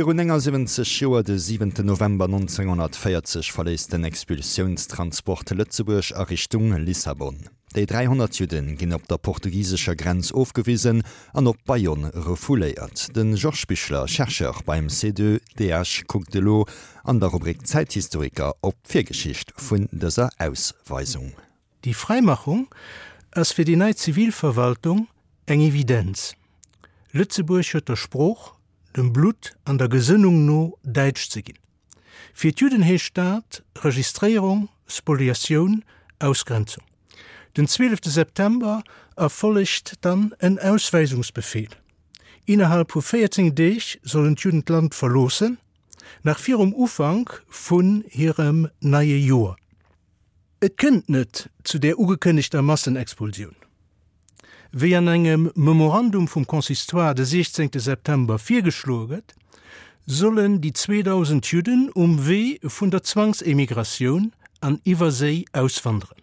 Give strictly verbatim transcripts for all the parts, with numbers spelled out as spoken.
Virun néngasiwwenzeg Joer, de siwenten November nonzénghonnertvéierzeg, verléisst den Expulsiounstransport Lëtzebuerg a Richtung Lissabon. Déi dräihonnert Judde ginn op der portugisescher Grenz ofgewisen an op Bayonne refouléiert. De Georges Bichler, Chercheur beim C deux D H, kuckt elo an der Rubrik Zäithistoriker op d'Virgeschicht vun dëser Ausweisung. Déi Fräimachung ass fir déi nei Zivilverwaltung eng Evidenz. Lëtzebuerg huet der Sprooch, dem Blutt an der Gesënnung no däitsch ze ginn. Fir d'Judden heescht dat, Registréierung, Spoliatioun, Ausgrenzung. Den zwielefte September erfollegt dann en Ausweisungsbefehl. Innerhalb vu véierzéng Deeg sollen d'Judden d'Land verloossen, nach virum Ufank vun hirem neie Joer. Et kënnt net zu der ugekënnegter Massenexpulsioun. Wéi an engem Memorandum vum Consistoire de siechzéngte September virgeschloe gëtt, sollen déi zweedausend Judden um Wee vun der Zwangsemigratioun an Iwwerséi auswanderen.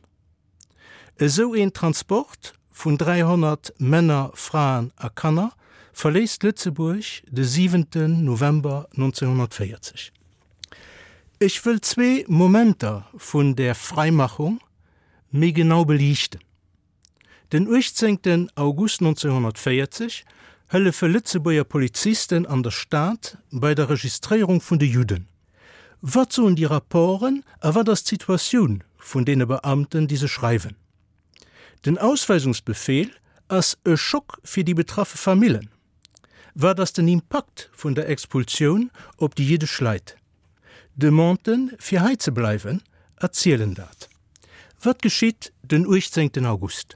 Esou een Transport vun dräihonnert Männer, Fraen a Kanner verléisst Lëtzebuerg de siwenten November nonzénghonnertvéierzeg. Ech wëll zwee Momenter vun der Fräimachung méi genau beliichten. Den uechtzéngten August nonzénghonnertvéierzeg hëllefe Lëtzebuerger Polizisten an der Stad bei der Registréierung vun de Judden. Wat soen déi Rapporten a wat ass d'Situatioun vun deene Beamten, déi se schreiwen? Den Ausweisungsbefehl ass e Schock fir déi betraffe Famillen. Wat ass den Impakt vun der Expulsioun op déi jiddesch Leit? Demanden, fir hei ze bleiwen, erzielen dat. Wat geschitt den uechtzéngten August?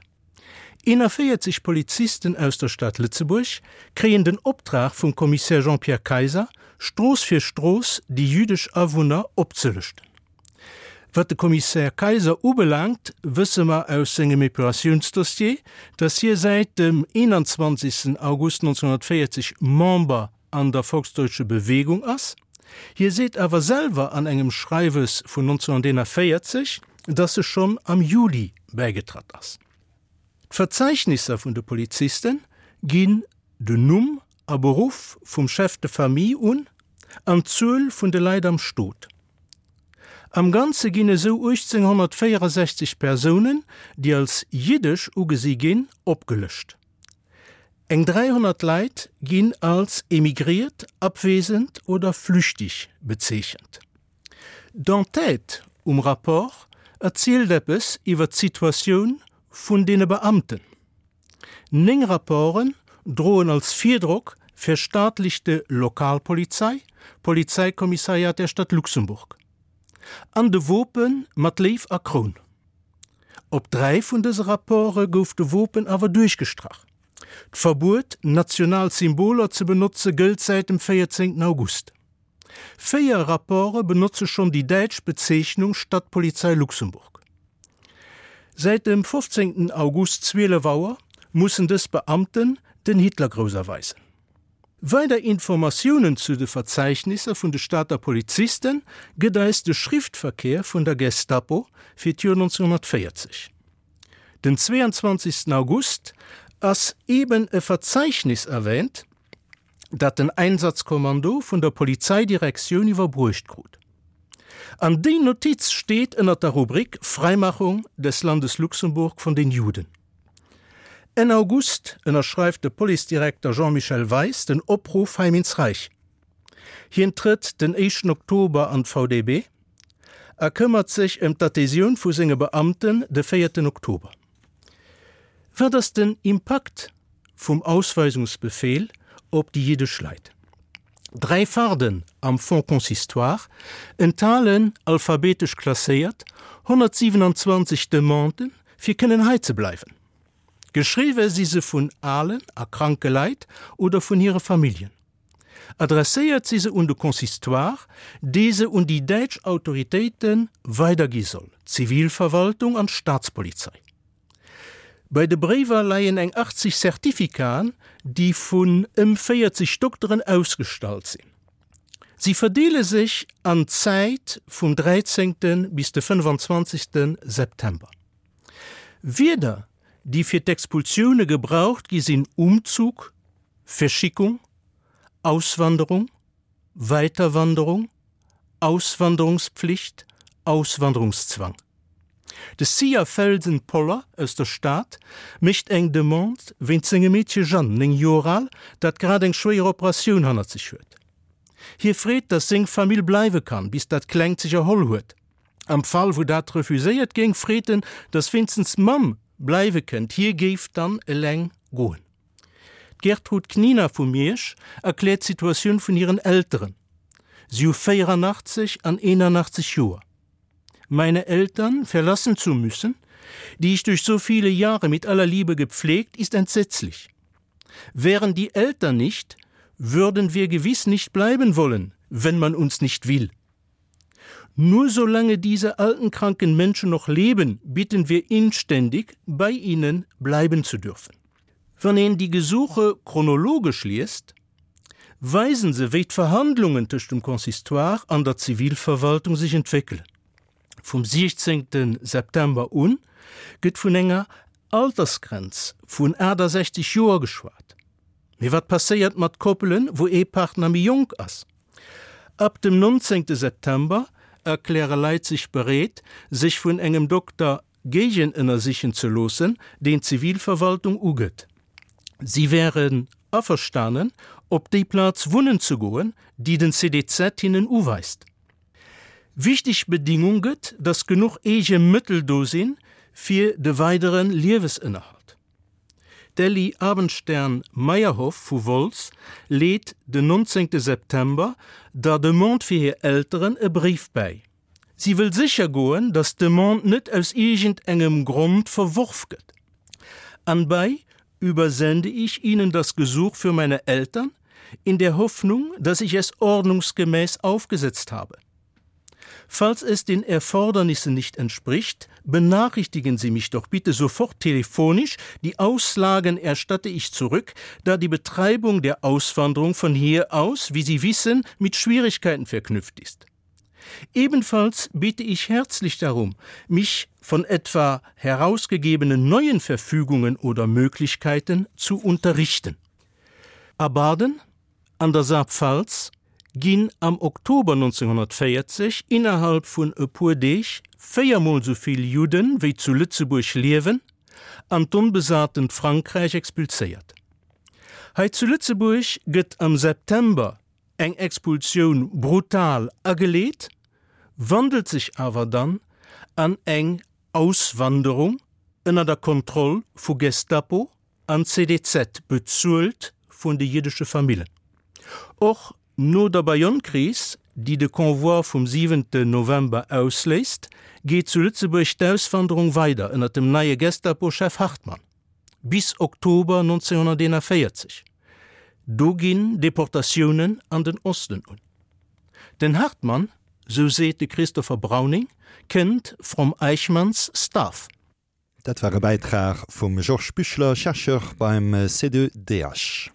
Eenavéierzeg Polizisten aus der Stad Lëtzebuerg kréien den Optrag vum Kommissär Jean-Pierre Kayser, Strooss fir Strooss déi jüddesch Awunner opzelëschten. Wat de Kommissär Kayser ubelaangt, wësse mer aus sengem Epuratiounsdossier, datt hie säit dem eenanzwanzegsten August nonzénghonnertvéierzeg Member an der Volksdeutsche Bewegung ass. Hie seet awer selwer an engem Schreiwes vun nonzénghonnerteenavéierzeg, datt e schonn am Juli bäigetratt ass. D'Verzeichnisser vun de Poliziste ginn den Numm a Beruff vum Chef de famille un an d'Zuel vun de Leit am Stot. Am Ganze ginn esou uechtzénghonnertvéierasechzeg Persounen, déi als jiddesch ugesi ginn, opgelëscht. Eng dräihonnert Leit ginn als emigriert, abwesend oder flüchtig bezeechent. D'Entête um Rapport erzielt eppes iwwer d'Situatioun vun deene Beamten. Néng Rapporten droen als Virdrock Verstaatlichte Lokalpolizei, Polizeikommissariat der Stadt Luxemburg. An de Wope mat Léiw a Kroun. Op dräi vun dëse Rapporte gouf de Wopen awer duerchgestrach. D'Verbuet, national Symboler ze benotze gëllt säit dem véierzéngten August. Véier Rapporte benotze schonn déi däitsch Bezeechnung Stadtpolizei Luxemburg. Säit dem fofzéngten August zwielef Auer mussen dës Beamten den Hitlergrouss erweisen. Weider Informatiounen zu de Verzeichnisser vun de Stater Poliziste gëtt eis de Schriftverkehr vun der Gestapo fir d'Joer nonzénghonnertvéierzeg. Den zweeanzwanzegsten August ass eben e Verzeichnis erwähnt, dat den Einsatzkommando vun der Polizeidirektioun iwwerbruecht krut. An déi Notiz steet ënner der Rubrik Freimachung des Landes Luxemburg von den Juden. Enn August ënnerschreift de Policedirekter Jean-Michel Weis den Opruff Heim ins Reich. Hien trëtt den éischten Oktober an d'V D B a këmmert sech ëm d'Adhesioun vu senge Beamten de véierten Oktober. Wat ass den Impakt vum Ausweisungsbefehl op déi jiddesch Leit? Dräi Farden am Fonds Consistoire enthalen, alphabetesch klasséiert, honnertsiwenanzwanzeg Demanden, fir kënnen hei ze bleiwen. Geschriwwe si se vun alen a kranke Leit oder vun hire Familljen. Adresséiert si se un de Consistoire, dee se un déi däitsch Autoritéite weidergi soll, d'Zivilverwaltung an d'Staatspolizei. Bei de Bréiwer leien eng achtzeg Certificaten, déi vun ëm véierzeg Dokteren ausgestallt sinn. Si verdeele sech an d'Zäit vum dräizéngte bis de fënnefanzwanzegste September. Wierder, déi fir d'Expulsioune gebraucht gi sinn Umzug, Verschickung, Auswanderung, Weiterwanderung, Auswanderungspflicht, Auswanderungszwang. De Sia Felsen-Poller aus der Stad mécht eng Demande wéinst sengem Meedche Jeanne, néng Joer al, dat grad eng schwéier Operatioun hannert sech huet. Hie freet, datt seng Famill bleiwe kann, bis dat Klengt sech erholl huet. Am Fall wou dat refuséiert géing, freet en, datt wéinstens d'Mamm bleiwe kënnt, hie géif dann eleng goen. D'Gertrud Knina vu Miersch erkläert d'Situatioun vun hiren Elteren. Si hu véierannachtzeg an eenannachtzeg Joer. Meine Eltern verlassen zu müssen, die ich durch so viele Jahre mit aller Liebe gepflegt, ist entsetzlich. Wären die Eltern nicht, würden wir gewiss nicht bleiben wollen, wenn man uns nicht will. Nur solange diese alten kranken Menschen noch leben, bitten wir inständig, bei ihnen bleiben zu dürfen. Wann een déi Gesuche chronologesch liest, weisen se, wéi d'Verhandlungen tëscht dem Consistoire an der Zivilverwaltung sech entwéckelen. Vum siechzéngte September un gëtt vun enger Altersgrenz vun aachtasechzeg Joer geschwat. Mee wat passéiert mat Koppelen, wou ee Partner méi jonk ass? Ab dem nonzéngte September erkläre Leit sech bereet, sech vun engem Dokter géigenënnersichen ze loossen, deen d'Zivilverwaltung ugëtt. Si wären averstanen, op déi Plaz wunnen ze goen, déi den C D Z hinnen uweist. Wichteg Bedingung gëtt, datt genuch eege Mëttel do sinn, fir de weidere Liewesënnerhalt. D'Elli Abendstern-Meyerhoff vu Wolz leet den nonzéngte September der Demande fir hir Elteren e Bréif bäi. Si wëll sécher goen, datt d'Demande net aus iergend engem Grond verworf gëtt. Anbei übersende ich Ihnen das Gesuch für meine Eltern in der Hoffnung, dass ich es ordnungsgemäß aufgesetzt habe. Falls es den Erfordernissen nicht entspricht, benachrichtigen Sie mich doch bitte sofort telefonisch, die Auslagen erstatte ich zurück, da die Betreibung der Auswanderung von hier aus, wie Sie wissen, mit Schwierigkeiten verknüpft ist. Ebenfalls bitte ich herzlich darum, mich von etwa herausgegebenen neuen Verfügungen oder Möglichkeiten zu unterrichten. A Baden an der Saarpfalz ginn am Oktober neunzehnhundertvéierzeg innerhalb vun e puer Deeg véiermol sou vill Judden, wéi zu Lëtzebuerg liewen, an d'onbesatent Frankräich expulséiert. Hei zu Lëtzebuerg gëtt am September eng Expulsioun brutal ageleet, wandelt sech awer dann an eng Auswanderung ënner der Kontroll vu Gestapo an C D Z, bezuelt vun de jiddesche Famillen. Och no der Bayonne-Kris, déi de Convoi vum siwente November ausléist, geet zu Lëtzebuerg d'Auswanderung weider ënner dem neie Gestapo-Chef Hartmann bis Oktober neunzehnhunderteenundvéierzeg. Do ginn Deportatiounen an den Osten un. Den Hartmann, sou seet de Christopher Browning, kënnt from Eichmanns staff. Dat war e Bäitrag vum Georges Büchler, Chercheur beim C D D H.